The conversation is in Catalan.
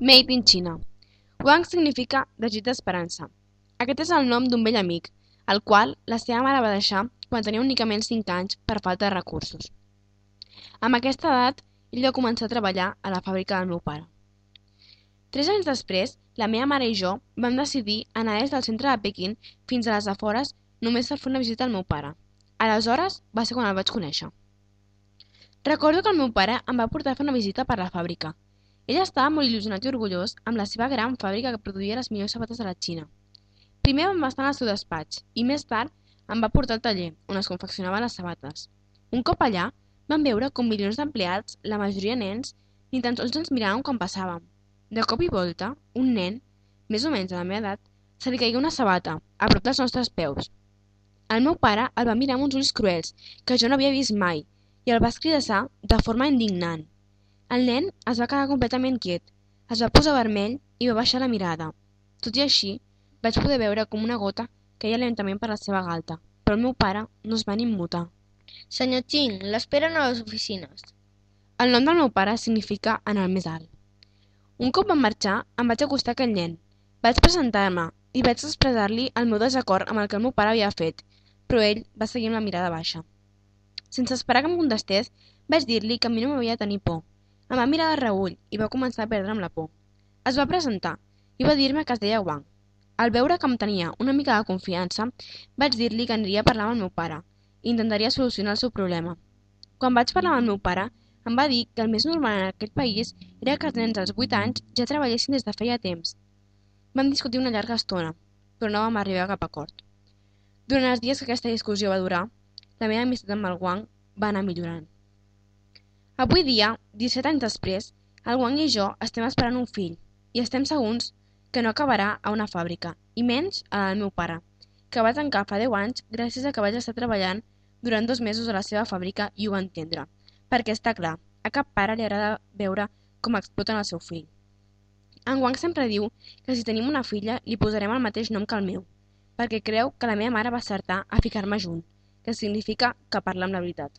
Made in China. Wang significa desig d'esperança. Aquest és el nom d'un vell amic, el qual la seva mare va deixar quan tenia únicament 5 anys per falta de recursos. Amb aquesta edat, ell va començar a treballar a la fàbrica del meu pare. 3 anys després, la meva mare i jo vam decidir anar des del centre de Pequín fins a les afores només per fer una visita al meu pare. Aleshores va ser quan el vaig conèixer. Recordo que el meu pare em va portar a fer una visita per la fàbrica. Ell estava molt il·lusionat i orgullós amb la seva gran fàbrica que produïa les millors sabates de la Xina. Primer vam estar en el seu despatx i més tard em va portar al taller, on es confeccionaven les sabates. Un cop allà, vam veure com milions d'empleats, la majoria nens, ni tan sols ens miràvem quan passàvem. De cop i volta, un nen, més o menys de la meva edat, se li caigué una sabata, a prop dels nostres peus. El meu pare el va mirar amb uns ulls cruels, que jo no havia vist mai, i el va escridassar de forma indignant. El nen es va quedar completament quiet, es va posar vermell i va baixar la mirada. Tot i així, vaig poder veure com una gota queia lentament per la seva galta, però el meu pare no es va ni immutar. Senyor Ching, l'esperen a les oficines. El nom del meu pare significa en el més alt. Un cop vam marxar, em vaig acostar a aquell nen. Vaig presentar-me i vaig expressar-li el meu desacord amb el que el meu pare havia fet, però ell va seguir amb la mirada baixa. Sense esperar que em contestés, vaig dir-li que a mi no m'havia de tenir por. Em va mirar de reüll i va començar a perdre'm la por. Es va presentar i va dir-me que es deia Wang. Al veure que em tenia una mica de confiança, vaig dir-li que aniria a parlar amb el meu pare i intentaria solucionar el seu problema. Quan vaig parlar amb el meu pare, em va dir que el més normal en aquest país era que els nens als 8 anys ja treballessin des de feia temps. Vam discutir una llarga estona, però no vam arribar a cap acord. Durant els dies que aquesta discussió va durar, la meva amistat amb el Wang va anar millorant. Avui dia, 17 anys després, el Wang i jo estem esperant un fill i estem segurs que no acabarà a una fàbrica, i menys a la del meu pare, que va tancar fa 10 anys gràcies a que vaig estar treballant durant 2 mesos a la seva fàbrica i ho va entendre, perquè està clar, a cap pare li agrada veure com exploten el seu fill. En Wang sempre diu que si tenim una filla li posarem el mateix nom que el meu, perquè creu que la meva mare va acertar a ficar-me junt, que significa que parla amb la veritat.